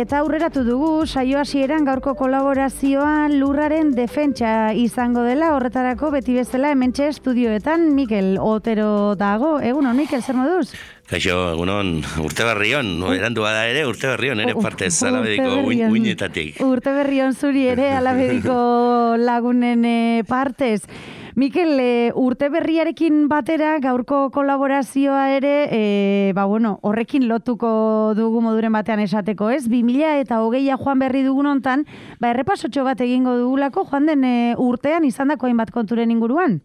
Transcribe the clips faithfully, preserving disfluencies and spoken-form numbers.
eta aurreratu dugu saio hasieran gaurko kolaborazioa lurraren defentsa izango dela, horretarako beti bezala hementxe estudioetan Mikel Otero dago. Egunon, Mikel, zer moduz? Kaixo, egunon, urte berrion, no, erandu bada ere, urte berrion ere partez, alabediko uinetatik. Urte berrion zuri ere, alabediko lagunen partez. Mikel, e, urte berriarekin batera gaurko kolaborazioa ere, e, ba bueno, horrekin lotuko dugu moduren batean esateko, ez? bi mila eta hogeia joan berri dugun hontan, ba errepasotxo bat egingo dugulako joan den e, urtean izandako hainbat konturen inguruan.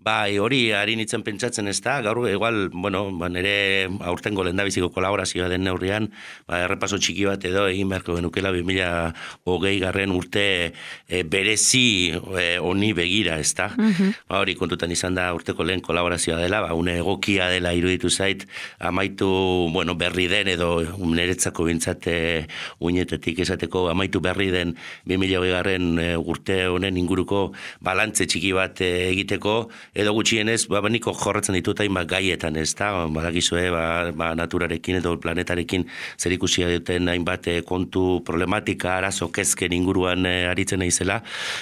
Bai, hori harin itzen pentsatzen ez da, gaur, igual, bueno, ba, nire aurtengo lehendabiziko kolaborazioa den neurrian, ba, errepaso txiki bat edo egin beharko genukela bi mila hogei garren urte e, berezi e, honi begira, ez da. Uh-huh. Ba, hori kontutan izan da urteko lehen kolaborazioa dela, ba, une egokia dela iruditu zait, amaitu, bueno, berri den edo niretzako bintzate uinetetik esateko, amaitu berri den bi mila hogei garren e, urte honen inguruko balantze txiki bat e, egiteko, edo gutxienez, ba, niko jorratzen ditut hainbat gaietan, ez da, badakizue, ba, ba, naturarekin edo planetarekin zer ikusia duten hainbat kontu problematika, arazo kezken inguruan e, aritzen naizela,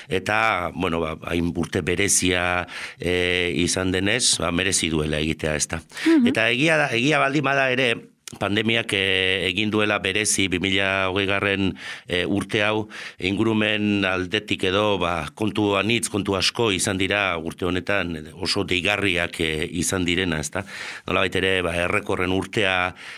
eta, bueno, ba, hain urte berezia e, izan denez, ba, merezi duela egitea, ez da. Mm-hmm. Eta egia, egia baldin bada ere, pandemiak e, egin duela berezi bi mila hogei garren e, urte hau ingurumen aldetik edo ba, kontu anitz, kontu asko izan dira urte honetan oso deigarriak e, izan direna, ezta? Nolabait ere ba, errekorren urtea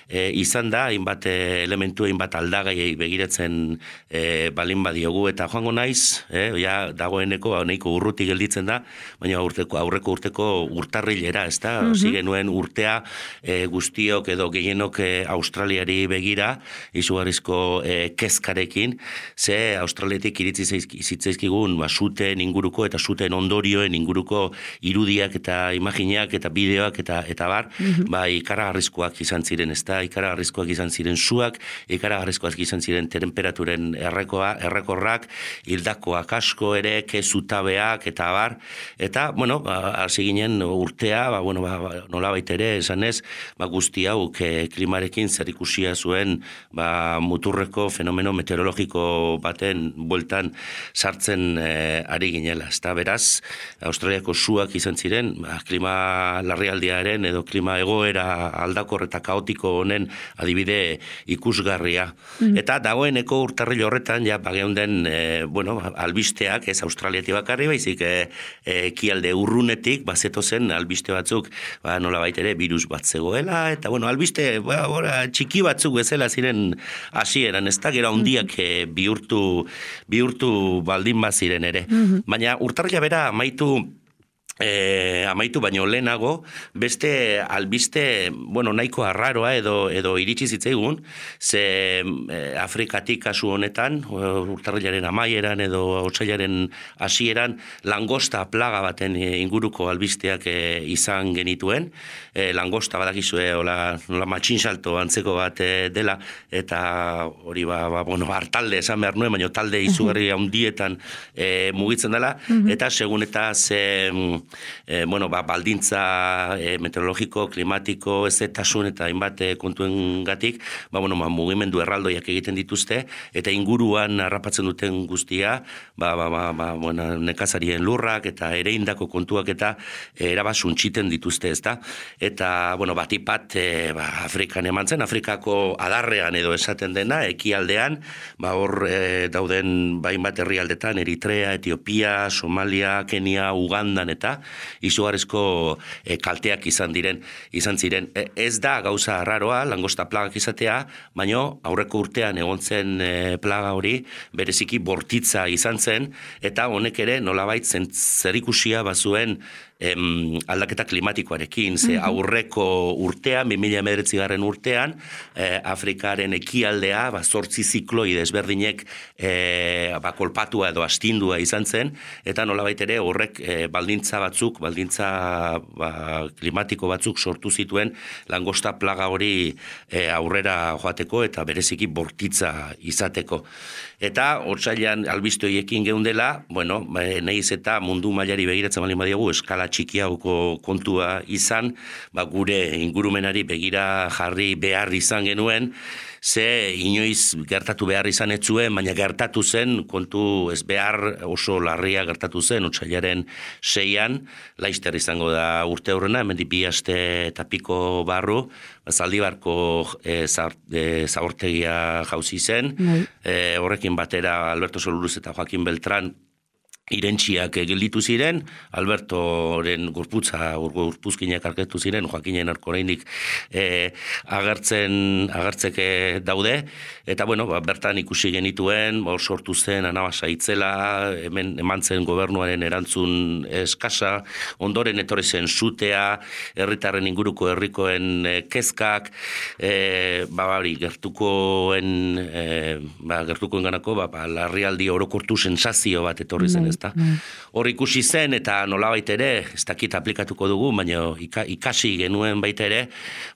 e, izan da, hainbat e, elementu, hainbat aldagai begiratzen e, balin badiogu eta joango naiz, e, ja, dagoeneko ba, nahiko urruti gelditzen da, baina urteko, aurreko urteko urtarrilera, ezta? Mm-hmm. Osi genuen urtea e, guztiok edo gehienok Australiari begira, izugarrizko e, kezkarekin, ze Australiatik iritzi zitzaizkigun ba, zuten inguruko eta zuten ondorioen inguruko irudiak eta imaginak eta bideoak eta eta bar, mm-hmm. ba, ikaragarrizkoak izan ziren, ez da, ikaragarrizkoak izan ziren zuak, ikaragarrizkoak izan ziren temperaturen errekoa, errekorrak, hildakoak asko ere, kezutabeak eta bar, eta, bueno, hasi ginen urtea, ba, bueno, ba, nolabait ere, esanez, ba, guzti hau klima marekin zer ikusia zuen ba, muturreko fenomeno meteorologiko baten bueltan sartzen e, ari ginela. Ezta beraz, Australiako suak izan ziren, ba, klima larrialdiaren edo klima egoera aldakor eta kaotiko honen adibide ikusgarria. Mm. Eta dagoeneko urtarril horretan, ja, bageunden, e, bueno, albisteak, ez Australiati bakarri, baizik, e, e, kialde urrunetik, bazeto zen albiste batzuk, ba, nola baitere, virus bat zegoela, eta, bueno, albiste, ba, Ora, txiki batzuk bezala ziren hasieran, ez da, gero handiak e, bihurtu, bihurtu baldin baziren ere. Mm-hmm. Baina urtarrila bera amaitu E, amaitu baino lehenago, beste albiste, bueno, nahiko arraroa edo, edo iritsi zitzaigun, ze e, Afrikatik kasu honetan, urtarrilaren amaieran edo otsailaren hasieran langosta plaga baten inguruko albisteak e, izan genituen, e, langosta badakizue, hola, nola matxinsalto antzeko bat e, dela, eta hori ba, ba, bueno, hartalde esan behar nuen, baina talde izugarri handietan e, mugitzen dela, eta segun eta ze E, bueno, ba, baldintza e, meteorologiko, klimatiko, ezetasun eta hainbat e, kontuengatik, ba, bueno, ba, mugimendu erraldoiak egiten dituzte, eta inguruan harrapatzen duten guztia, ba, ba, ba, ba, bueno, nekazarien lurrak eta ereindako kontuak eta e, erabasuntxiten dituzte, ezta? Eta, bueno, batipat e, ba, Afrikan eman zen, Afrikako adarrean edo esaten dena, ekialdean, ba, hor e, dauden ba, hainbat herrialdetan, Eritrea, Etiopia, Somalia, Kenia, Ugandan eta izugarrizko e, kalteak izan diren, izan ziren. E, ez da gauza raroa, langosta plagak izatea, baino aurreko urtean egon zen e, plaga hori bereziki bortitza izan zen, eta honek ere nolabait zerikusia bazuen em, aldaketa klimatikoarekin, ze aurreko urtean, bi mila hemeretzi garren urtean, eh, Afrikaren ekialdea, ba, zortzi zikloi desberdinek eh, ba, kolpatua edo astindua izan zen, eta nolabait ere horrek eh, baldintza batzuk, baldintza ba, klimatiko batzuk sortu zituen langosta plaga hori eh, aurrera joateko eta bereziki bortitza izateko. Eta otsailean albiste horiekin geundela, bueno, nahiz eta mundu mailari begiratzen baldin badiogu eskala eskala txikiago kontua izan, ba, gure ingurumenari begira jarri behar izan genuen, ze inoiz gertatu behar izan ez zuen, baina gertatu zen, kontu ez behar oso larria gertatu zen, otsailaren seian, laizter izango da urte horrena, hemendik bi aste eta piko barru, Zaldibarko e, e, zabortegia jauzi zen, e, horrekin batera Alberto Soluruz eta Joaquin Beltran irentxiak gelditu ziren, Albertoren gorputza, gorpuzkinak arketu ziren, Joaquinen oraindik e, agertzen, agertzeke daude, eta bueno, ba, bertan ikusi genituen, hor sortu zen anabasa itzela, hemen eman zen gobernuaren erantzun eskasa, ondoren etorri zen sutea, herritarren inguruko herrikoen e, kezkak, e, ba, bari, gertukoen, e, ba, gertukoen ganako, ba, ba, larrialdi orokortu sensazio bat etorri zen, hor ikusi zen eta nolabait ere, ez dakit aplikatuko dugu, baina ikasi genuen baita ere,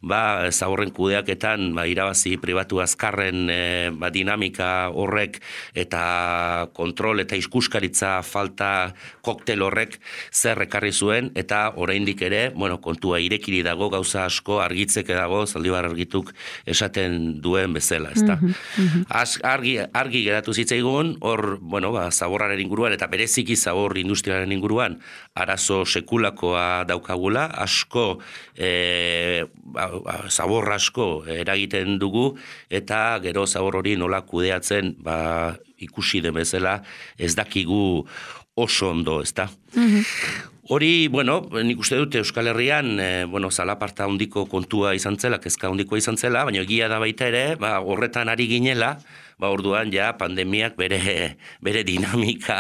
ba, zaborren kudeaketan, ba, irabazi pribatu azkarren e, ba, dinamika horrek eta kontrol eta iskuskaritza falta koktel horrek zer ekarri zuen, eta oraindik ere, bueno, kontua irekiri dago, gauza asko argitzeke dago, Zaldibar argituk esaten duen bezala, ezta. Mm-hmm. Argi, argi geratu zitzaigun, hor, bueno, ba, zaborraren inguruan, eta bere bereziki zabor industriaren inguruan arazo sekulakoa daukagula, asko, e, zabor asko eragiten dugu, eta gero zabor hori nola kudeatzen, ba, ikusi den bezala, ez dakigu oso ondo, ezta? Mm-hmm. Hori, bueno, nik uste dut Euskal Herrian, e, bueno, zalaparta handiko kontua izan zela, kezka handikoa izan zela, baina egia da baita ere, ba, horretan ari ginela, ba, orduan ja pandemiak bere, bere dinamika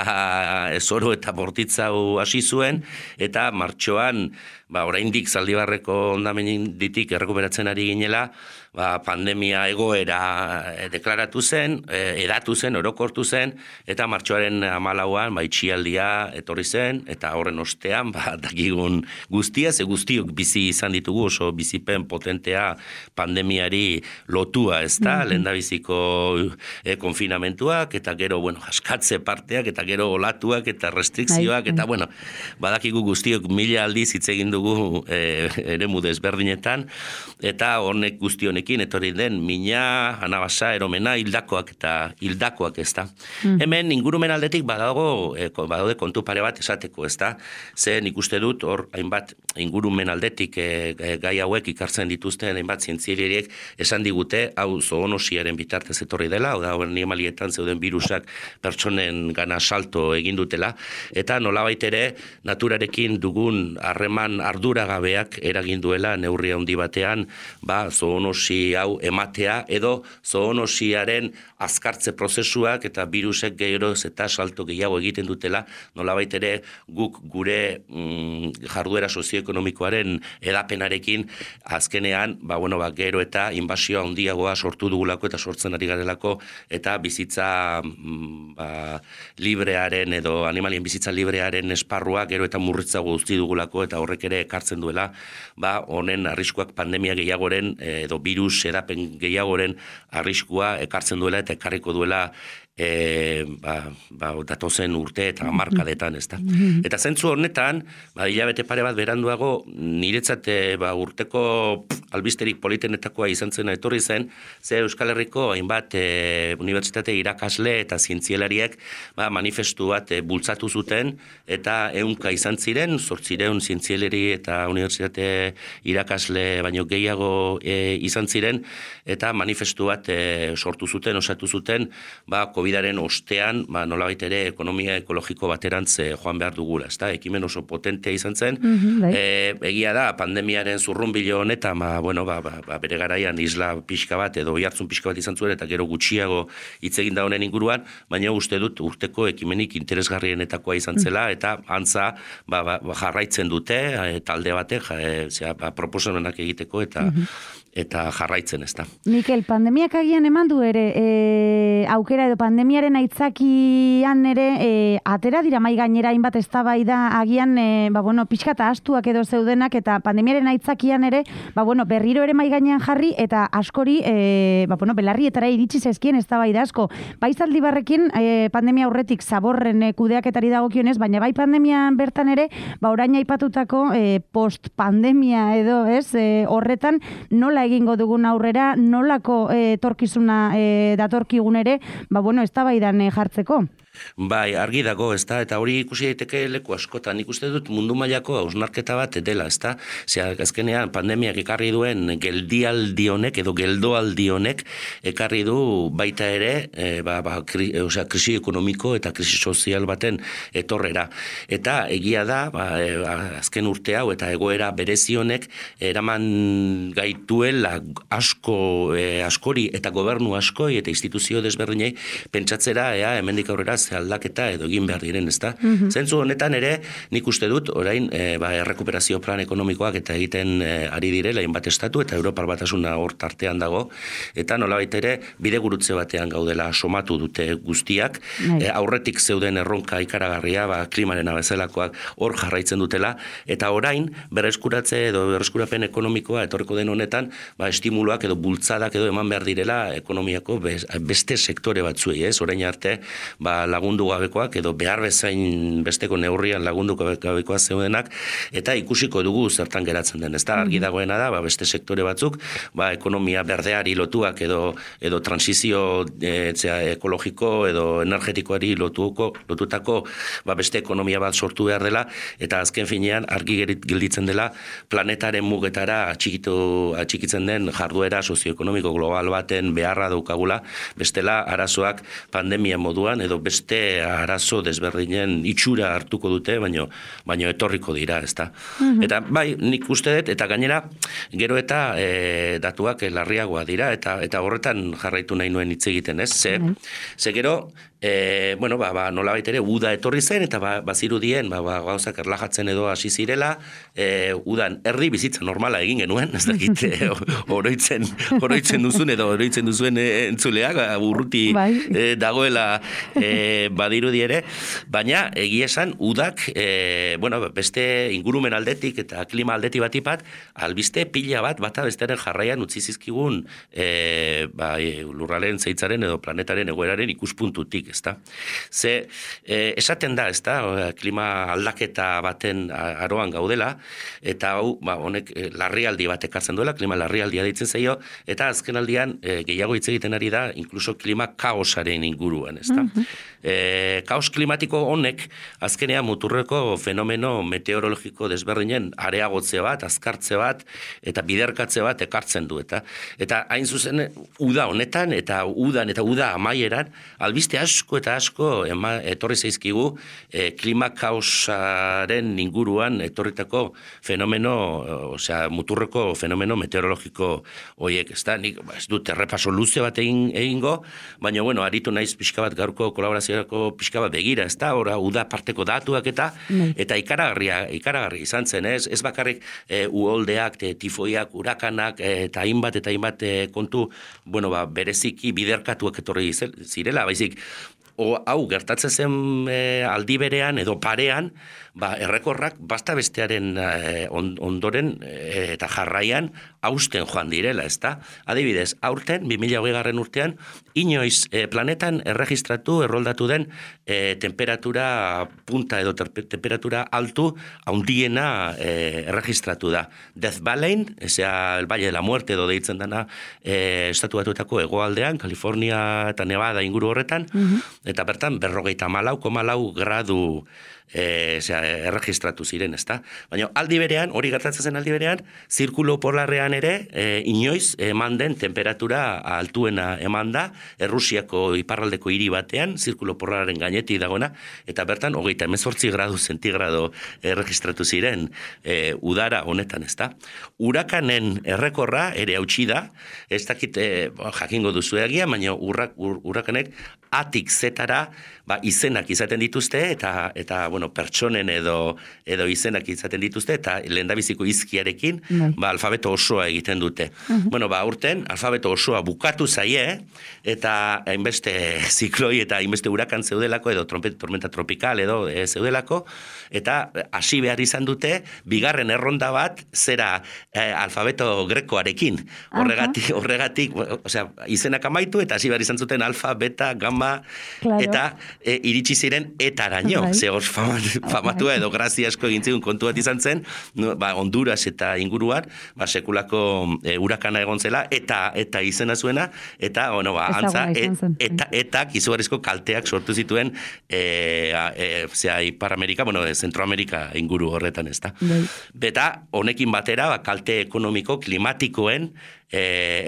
zoro eta bortitzau hasi zuen, eta martxoan, ba, oraindik Zaldibarreko hondamenditik errekuperatzen ari ginela, ba, pandemia egoera deklaratu zen, edatu zen, orokortu zen, eta martxoaren hamalauan ba, itxialdia etorri zen, eta horren ostean, ba, dakigun guztia, ze guztiok bizi izan ditugu, oso bizipen potentea pandemiari lotua, ez da, mm-hmm. lehendabiziko e, konfinamentuak, eta gero, bueno, askatze parteak, eta gero olatuak, eta restrikzioak, eta, bueno, badakigu guztiok mila aldiz hitz egin dugu e, eremu desberdinetan, eta honek guztionekin etorri den mina, anabasa, eromena, hildakoak eta hildakoak, ez da. Mm. Hemen ingurumen aldetik badago, e, badaude kontu pare bat esateko, ez da. Ze nik uste dut, hor, hainbat ingurumen aldetik e, e, gai hauek ikartzen dituzten, hainbat zientzialariek esan digute, hau zoonosiaren bitartez etorri dela, hau da, animalietan zeuden virusak pertsonen gana salto egin dutela, eta nolabait ere naturarekin dugun harreman arduragabeak eragin duela neurri handi batean, ba, zoonosi hau ematea, edo zoonosiaren azkartze prozesuak eta virusek gehiagoz eta salto gehiago egiten dutela, nolabait ere guk gure mm, jarduera sozioekonomikoaren edapenarekin azkenean, ba, bueno, ba, gero eta inbasio handiagoa sortu dugulako eta sortzen ari garelako, eta bizitza mm, ba, librearen edo animalien bizitza librearen esparrua gero eta murritzago guzti dugulako, eta horrek ere ekartzen duela, ba, honen arriskuak pandemia gehiagoren edo virus edapen gehiagoren arriskua ekartzen duela eta ekarriko duela E, ba, ba, datozen urte eta hamarkadetan, ez da. Eta zentzu honetan, ba, hilabete pare bat beranduago, niretzat ba, urteko pff, albisterik politenetakoa izan zena etorri zen, ze Euskal Herriko hainbat e, unibertsitate irakasle eta zientzialariek ba, manifestu bat e, bultzatu zuten, eta ehunka izan ziren, zortzireun zientzialari eta unibertsitate irakasle baino gehiago e, izan ziren, eta manifestu bat e, sortu zuten, osatu zuten, ba, COVIDaren ostean, ba, nolabait ere ekonomia ekologiko baterantz joan behar dugula, ezta? Ekimen oso potentea izan zen. Mm-hmm, e, egia da, pandemiaren zurrunbilo honetan, ba, bueno, ba, ba, ba, bere garaian isla pixka bat edo oihartzun pixka bat izan zuen, eta gero gutxiago hitz egin da honen inguruan, baina uste dut urteko ekimenik interesgarrienetakoa izan zela, eta antza ba, ba, jarraitzen dute, e, talde batek, e, zera, ba, proposamenak egiteko, eta mm-hmm. eta jarraitzen, ez da. Mikel, pandemiak agian eman du ere, e, aukera edo pandemiaren aitzakian ere, e, atera dira mai gainera hainbat eztabaida agian, e, ba, bueno, pixkata astuak edo zeudenak, eta pandemiaren aitzakian ere, ba, bueno, berriro ere mai gainean jarri, eta askori, e, ba, bueno, belarrietara iritsi zezkien eztabaida asko. Bai Zaldibarrekin, e, pandemia aurretik zaborren e, kudeaketari dagokionez, baina bai pandemian bertan ere, ba, orain aipatutako e, post-pandemia edo, ez, e, horretan nola egingo dugun aurrera, nolako e, torkizuna e, datorkigun ere, ba, bueno, eztabaidan e, jartzeko. Bai, argi dago, ezta, eta hori ikusi daiteke leku askotan. Nik uste dut mundu mailako hausnarketa bat dela, ezta? Zea, azkenean pandemiak ekarri duen geldialdi honek edo geldoaldi honek ekarri du baita ere, e, ba, ba, kri, e, osea, krisi ekonomiko eta krisi sozial baten etorrera. Eta egia da, ba, e, azken urte hau eta egoera berezi honek eraman gaituela asko, e, askori eta gobernu askoi eta instituzio desberdinei pentsatzera, ea, hemendik aurrera aldaketa edo egin behar diren, ezta? Mm-hmm. Zentzu honetan ere, nik uste dut, orain, e, ba, errekuperazio plan ekonomikoak eta egiten e, ari direla, hainbat estatu, eta Europar Batasuna hor tartean dago, eta nolabait ere, bidegurutze batean gaudela somatu dute guztiak, e, aurretik zeuden erronka ikaragarria, ba, klimaren abezelakoak hor jarraitzen dutela, eta orain, berreskuratze edo berreskurapen ekonomikoa etorreko den honetan, ba, estimuluak edo bultzadak edo eman behar direla ekonomiako beste sektore batzuei, ez? Orain arte, ba, lagundu gabekoak edo behar bezain besteko neurrian lagundu gabekoak zeudenak, eta ikusiko dugu zertan geratzen den. Ez da, argi dagoena da, ba, beste sektore batzuk, ba, ekonomia berdeari lotuak edo edo transizio e, zera, ekologiko edo energetikoari lotuko, lotutako ba, beste ekonomia bat sortu behar dela, eta azken finean argi gelditzen dela planetaren mugetara atxikitu, atxikitzen den jarduera sozioekonomiko global baten beharra daukagula, bestela arazoak pandemia moduan edo beste arazo desberdinen itxura hartuko dute, baino, baino etorriko dira, ezta. Mm-hmm. Eta bai, nik uste dut, eta gainera, gero eta e, datuak larriagoa dira, eta eta horretan jarraitu nahi nuen hitz egiten, ez? Ze, mm-hmm. ze gero, E, bueno, ba, ba, nolabait ere uda etorri zen, eta ba, bazirudien, ba, ba, gauzak erlajatzen edo hasi zirela, e, udan erdi bizitza normala egin genuen, ez dakit, e, oroitzen, oroitzen duzun edo oroitzen duzuen e, entzuleak, urruti e, dagoela e, badirudi ere, baina egia esan udak, e, bueno, beste ingurumen aldetik eta klima aldetik batipat, albiste pila bat, bata besteren jarraian utzi zizkigun e, ba, e, lurralen zeitzaren edo planetaren egoeraren ikuspuntutik, ezta. Ze, eh, esaten da, ezta, klima aldaketa baten aroan gaudela, eta hau, ba, honek eh, larrialdi bat ekartzen duela, klima larrialdia deitzen zaio, eta azken aldian eh, gehiago hitz egiten ari da, inkluso klima kaosaren inguruan, ezta. Mm-hmm. Eh, kaos klimatiko honek, azkenean muturreko fenomeno meteorologiko desberdinen areagotze bat, azkartze bat, eta biderkatze bat ekartzen du, eta eta hain zuzen, uda honetan, eta udan, eta uda amaieran, albiste asko eta asko ema, etorri zaizkigu e, klima kaosaren inguruan etorritako fenomeno, osea, muturreko fenomeno meteorologiko horiek, ez da, nik ez dut errepaso luze bat egin, egingo, baina, bueno, aritu naiz pixka bat gaurko kolaboraziorako pixka bat begira, ez da, ora, uda parteko datuak eta mm. eta ikaragarria, ikaragarria izan zen, ez, ez bakarrik e, uholdeak, te, tifoiak, urakanak, e, eta hainbat eta hainbat e, kontu, bueno, ba, bereziki biderkatuak etorri zirela, baizik, o, hau gertatzen zen e, aldi berean edo parean, ba, errekorrak basta bestearen e, ondoren e, eta jarraian hausten joan direla, ezta? Adibidez, aurten, bi mila hogeigarren urtean, inoiz e, planetan erregistratu, erroldatu den e, temperatura punta edo ter, temperatura altu haundiena e, erregistratu da. Death Valley, ezea, el Valle de la Muerte edo deitzen dana e, estatu batuetako hegoaldean, California eta Nevada inguru horretan, mm-hmm. eta bertan berrogeita malau koma lau gradu E, zera, erregistratu ziren, ezta? Baina aldi berean, hori gertatzen zen aldi berean, zirkulo polarrean ere, e, inoiz eman den temperatura altuena eman da, Errusiako iparraldeko hiri batean, zirkulo polarraren gainetik dagoena, eta bertan, hogeita hemezortzi gradu zentigrado erregistratu ziren e, udara honetan, ezta? Urakanen errekorra ere hautsi da, ez dakit e, jakingo duzu egia, baina urrak, ur, urakanek atik zetara, ba, izenak izaten dituzte, eta, eta bueno, pertsonen edo, edo izenak izaten dituzte, eta lehendabiziko izkiarekin, bai. ba, alfabeto osoa egiten dute. Uh-huh. Bueno, ba, urten, alfabeto osoa bukatu zaie, eta hainbeste zikloi eta hainbeste hurakan zeudelako, edo trompet, tormenta tropikal, edo e, zeudelako, eta hasi behar izan dute, bigarren erronda bat, zera e, alfabeto grekoarekin. Horregatik, uh-huh. horregatik, osea, izenak amaitu, eta hasi behar izan zuten alfa, beta, gamma, claro. eta e, iritsi ziren etaraino. Right. Ze hor famatua edo grazia asko egin zigun kontu bat izan zen, no, ba, Honduras eta inguruan, ba, sekulako e, hurakana egon zela, eta eta izena zuena, eta, bueno, ba, antza, et, eta, eta izugarrizko kalteak sortu zituen e, e, zera, Ipar Amerika, bueno, Zentroamerika inguru horretan, ez da. Beta, honekin batera, ba, kalte ekonomiko, klimatikoen e,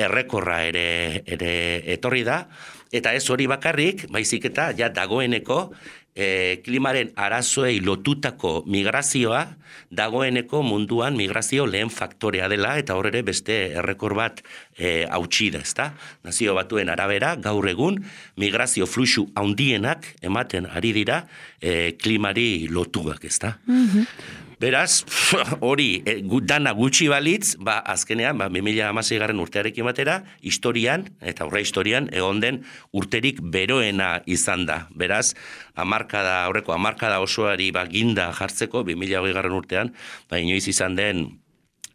errekorra ere, ere etorri da, eta ez hori bakarrik, baizik eta ja dagoeneko e, klimaren arazoei lotutako migrazioa dagoeneko munduan migrazio lehen faktorea dela, eta hor ere beste errekor bat e, hautsi da, ezta? Nazio Batuen arabera, gaur egun, migrazio fluxu handienak ematen ari dira e, klimari lotuak, ezta? Mm-hmm. Beraz, hori, e, dana gutxi balitz, ba, azkenean, ba, bi mila hamasei garren urtearekin batera, historian, eta aurre historian, egon den urterik beroena izan da. Beraz, hamarkada, aurreko hamarkada osoari ba, ginda jartzeko, bi mila hogei garren urtean, ba, inoiz izan den,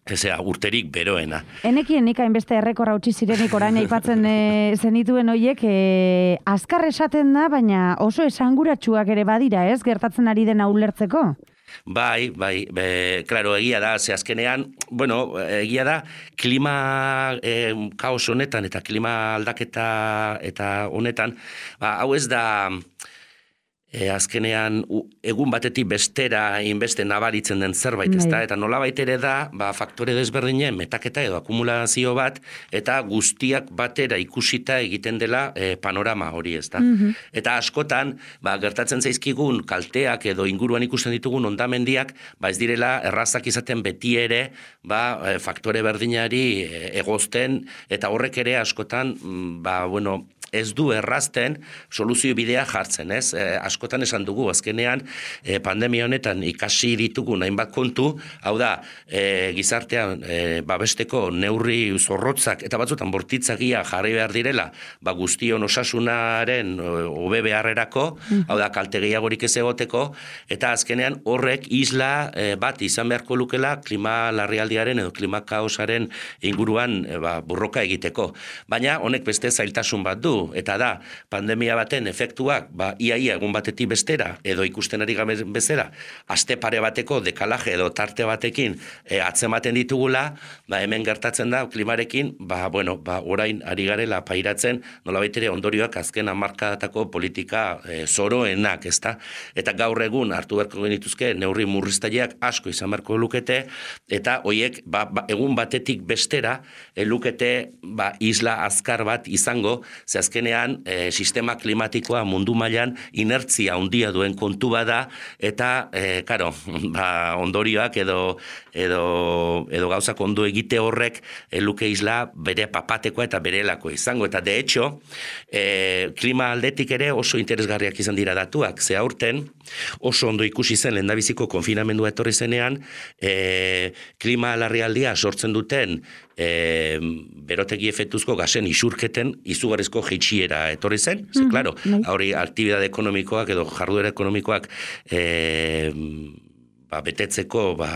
ezea, urterik beroena. Enekien nik hainbeste errekorra utzi zirenik orain aipatzen e, zenituen hoiek, e, azkar esaten da, baina oso esanguratsuak ere badira, ez, gertatzen ari dena ulertzeko? Bai, bai, be, klaro, egia da, ze azkenean, bueno, egia da, klima e, kaos honetan eta klima aldaketa eta honetan, ba, hau ez da, e, azkenean, u, egun batetik bestera inbeste nabaritzen den zerbait, ez da, eta nolabait ere da, ba, faktore desberdinen metaketa edo akumulazio bat, eta guztiak batera ikusita egiten dela e, panorama hori, ez da. Mm-hmm. Eta askotan, ba, gertatzen zaizkigun kalteak edo inguruan ikusten ditugun ondamendiak, ba, ez direla errazak izaten beti ere, ba, faktore berdinari egozten, eta horrek ere askotan, ba, bueno, ez du errazten soluzio bidea jartzen, ez? E, askotan esan dugu, azkenean e, pandemia honetan ikasi ditugu hainbat kontu, hau da, e, gizartean e, babesteko neurri zorrotzak eta batzutan bortitzagia jarri behar direla, ba guztion osasunaren hobe beharrerako, hau da, kalte gehiagorik ez egoteko, eta azkenean horrek isla e, bat izan beharko lukela klima larrialdiaren edo klima kaosaren inguruan e, ba, burroka egiteko. Baina honek beste zailtasun bat du, eta da, pandemia baten efektuak, ba, iaia egun batetik bestera, edo ikusten ari gabe bezera, aste pare bateko dekalaje edo tarte batekin e, atzematen ditugula, ba, hemen gertatzen da, klimarekin, ba, bueno, ba, orain ari garela pairatzen, nolabait ere ondorioak azken hamarkadatako politika e, zoroenak, ezta? Eta gaur egun hartu beharko genituzke neurri murriztaileak asko izan beharko lukete, eta hoiek ba, ba, egun batetik bestera e, lukete ba, isla azkar bat izango, ze azkenean e, sistema klimatikoa mundu mailan inertzia handia duen kontu bada, eta, e, karo, ba, ondorioak edo, edo, edo gauzak ondo egite horrek e, luke isla bere papatekoa eta berelako izango. Eta de hecho, e, klima aldetik ere oso interesgarriak izan dira datuak, ze aurten oso ondo ikusi zen lehendabiziko konfinamendua etorri zenean, e, klima larrialdia sortzen duten E, berotegi efektuzko gasen isurketen izugarrizko jeitsiera etorri zen, ze, claro, hori aktibidade ekonomikoak edo jarduera ekonomikoak e, ba, betetzeko ba,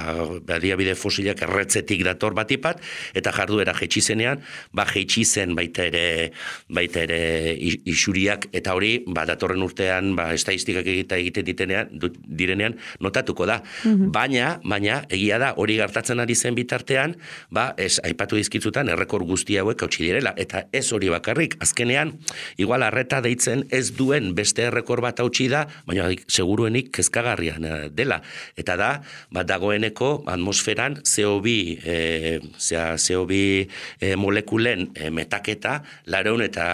baliabide fosilak erretzetik dator batipat, eta jarduera jeitsi zenean, ba, jeitsi zen baita ere, baita ere isuriak, eta hori ba, datorren urtean ba, estadistikak egita egiten ditenean, direnean notatuko da. Mm-hmm. Baina, baina, egia da, hori gertatzen ari zen bitartean, ba, ez aipatu dizkitzutan errekor guzti hauek hautsi direla, eta ez hori bakarrik, azkenean, igual arreta deitzen ez duen beste errekor bat hautsi da, baina seguruenik kezkagarrian dela, eta da, bat dagoeneko atmosferan C O bi, e, zera, C O bi e, molekulen e, metaketa lareun eta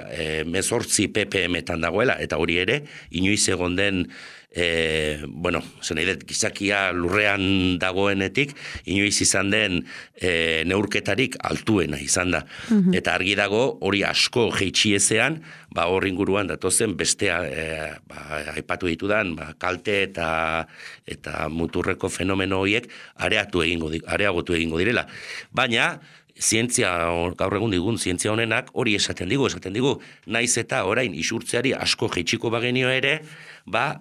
e, mezortzi ppm-etan dagoela, eta hori ere, inoiz egon den e, bueno, zen nahi dut, gizakia lurrean dagoenetik, inoiz izan den e, neurketarik altuena izan da. Mm-hmm. Eta argi dago, hori asko jeitxiezean, ba, hor inguruan datozen bestea, e, ba, aipatu ditudan, ba, kalte eta, eta muturreko fenomeno horiek areatu egingo, areagotu egingo direla. Baina, zientzia, gaur egun digun, zientzia honenak hori esaten digu, esaten digu, naiz eta orain isurtzeari asko jeitsiko bagenio ere, ba,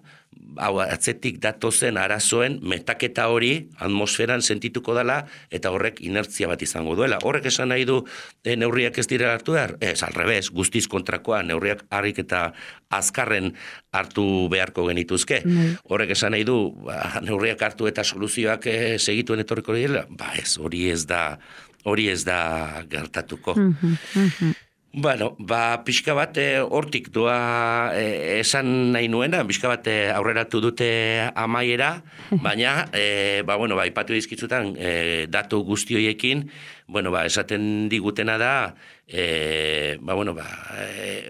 hau atzetik datozen arazoen metaketa hori atmosferan sentituko dela eta horrek inertzia bat izango duela. Horrek esan nahi du e, neurriak ez dira hartu behar? Ez, alrebez, guztiz kontrakoa, neurriak harrik eta azkarren hartu beharko genituzke. Mm. Horrek esan nahi du, ba, neurriak hartu eta soluzioak e, segituen etorriko dira? Ba ez, hori ez da... hori ez da gertatuko. Mm-hmm, mm-hmm. Bueno, ba, pixka bat hortik doa e, esan nahi nuena, pixka bat aurreratu dute amaiera, baina, e, ba, bueno, ba, ipatu dizkitzutan e, datu guztioiekin, bueno, ba, esaten digutena da, e, ba, bueno, ba,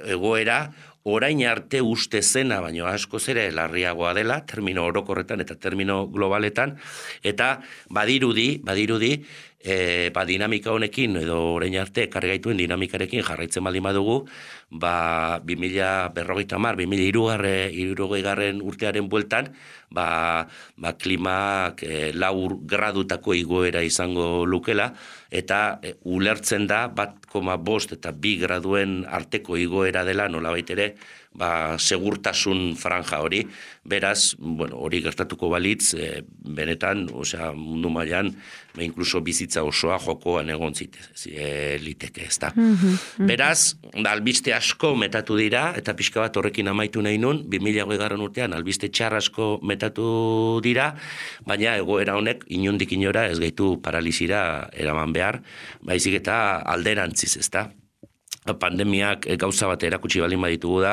egoera, orain arte uste zena, baino askoz ere larriagoa dela, termino orokorretan eta termino globaletan, eta badirudi, badirudi, E, ba, dinamika honekin, edo orain arte ekarri gaituen dinamikarekin jarraitzen baldin badugu, ba, bi mila berrogeita hamar, bi mila hirurogei garren urtearen bueltan, ba, ba, klimak e, lau gradutako igoera izango lukela, eta e, ulertzen da bat koma bost eta bi graduen arteko igoera dela, nolabait ere, ba, segurtasun franja hori, beraz, bueno, hori gertatuko balitz, e, benetan, osea, mundu mailan, ba, inkluso bizitza osoa jokoan egon zite, e, liteke, ez da. Mm-hmm. Beraz, albiste asko metatu dira, eta pixka bat horrekin amaitu nahi nun, bi mila hogei garren urtean, albiste txar asko metatu dira, baina egoera honek inondik inora ez gaitu paralizira eraman behar, baizik eta alderantziz, ez da. Pandemiak gauza bat erakutsi balin baditugu da,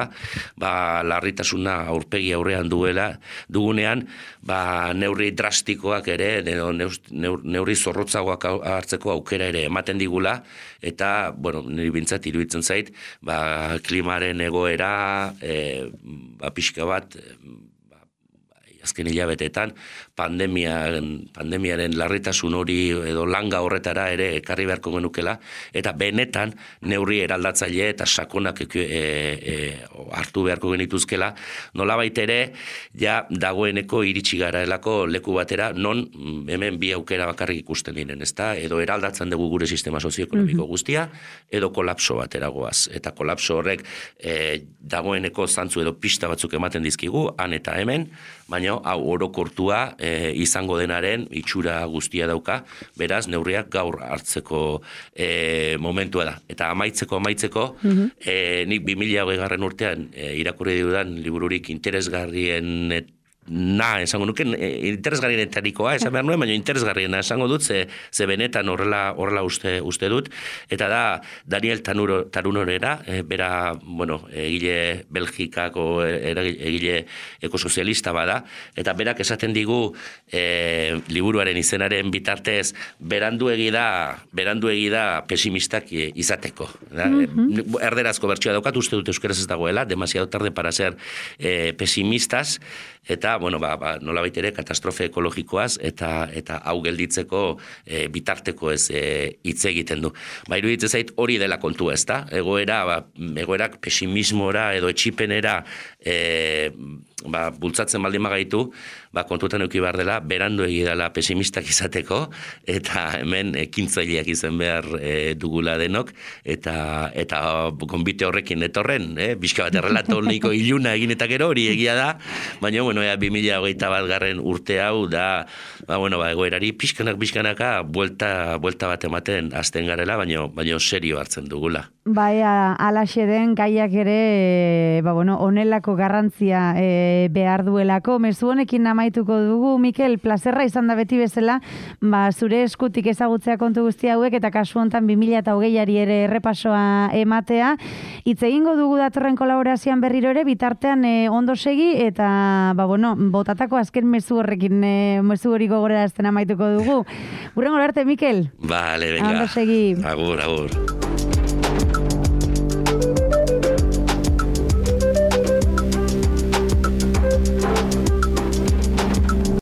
ba, larritasuna aurpegi aurrean duela, dugunean, ba, neurri drastikoak ere, neurri zorrotzagoak hartzeko aukera ere ematen digula, eta, bueno, niri bintzat iruditzen zait, ba, klimaren egoera, e, ba, pixka bat, azken hilabetetan, pandemiaren, pandemiaren larritasun hori edo langa horretara ere ekarri beharko genukela, eta benetan neurri eraldatzaile eta sakonak e, e, hartu beharko genituzkela, nolabait ere, ja dagoeneko iritsi garaelako leku batera, non hemen bi aukera bakarrik ikusten diren, ezta? Edo eraldatzen dugu gure sistema sozioekonomiko guztia, edo kolapso batera goaz. Eta kolapso horrek e, dagoeneko zantzu edo pista batzuk ematen dizkigu, han eta hemen, baina hau orokortua e, izango denaren itxura guztia dauka, beraz neurriak gaur hartzeko e, momentua da. Eta amaitzeko, amaitzeko, mm-hmm. e, nik bi mila hogei garren urtean e, irakurri dudan libururik interesgarrien et, na, esango nuke, interesgarrienetarikoa, esan behar nuen, baina interesgarriena esango dut, ze, ze benetan horrela, horrela uste, uste dut, eta da Daniel Tanuro, Tarunorera, e, bera, bueno, egile Belgikako egile ekosozialista bada, eta berak esaten digu e, liburuaren izenaren bitartez, beranduegi da, beranduegi da pesimistak izateko. Da? Mm-hmm. Erderazko bertsioa daukat, uste dut euskeraz ez dagoela, demasiado tarde para ser e, pesimistas, eta, bueno, ba, ba, nolabait ere katastrofe ekologikoaz eta eta hau gelditzeko e, bitarteko ez hitz e, egiten du. Ba, iruditzen zait hori dela kontua, ezta? Egoera, ba, egoerak pesimismora edo etxipenera e, ba, bultzatzen baldin magaitu, ba, kontutan eduki behar dela, berandu egi dela pesimistak izateko, eta hemen ekintzaileak izan behar e, dugula denok, eta eta gonbite horrekin etorren, eh? Bizka bat errelato nahiko iluna egin eta gero hori egia da, baina, bueno, ea, bi mila hogeita bat garren urte hau da, ba, bueno, ba, egoerari pixkanak pixkanaka buelta, buelta bat ematen azten garela, baina, baina serio hartzen dugula. Bai, alaxe den gaiak ere, ba, bueno, onelako garrantzia e, behar duelako. Mezu honekin amaituko dugu, Mikel, plazerra izan da beti bezala, ba, zure eskutik ezagutzea kontu guzti hauek, eta kasu hontan bi mila hogeiari ere errepasoa ematea. Hitz egingo dugu datorren kolaborazioan berriro ere, bitartean e, ondo segi, eta, ba, bueno, botatako azken mezu horrekin, e, mezu hori gogorera azten amaituko dugu. Gurrengo arte, Mikel. Vale, venga. Ondo segi. Agur, agur.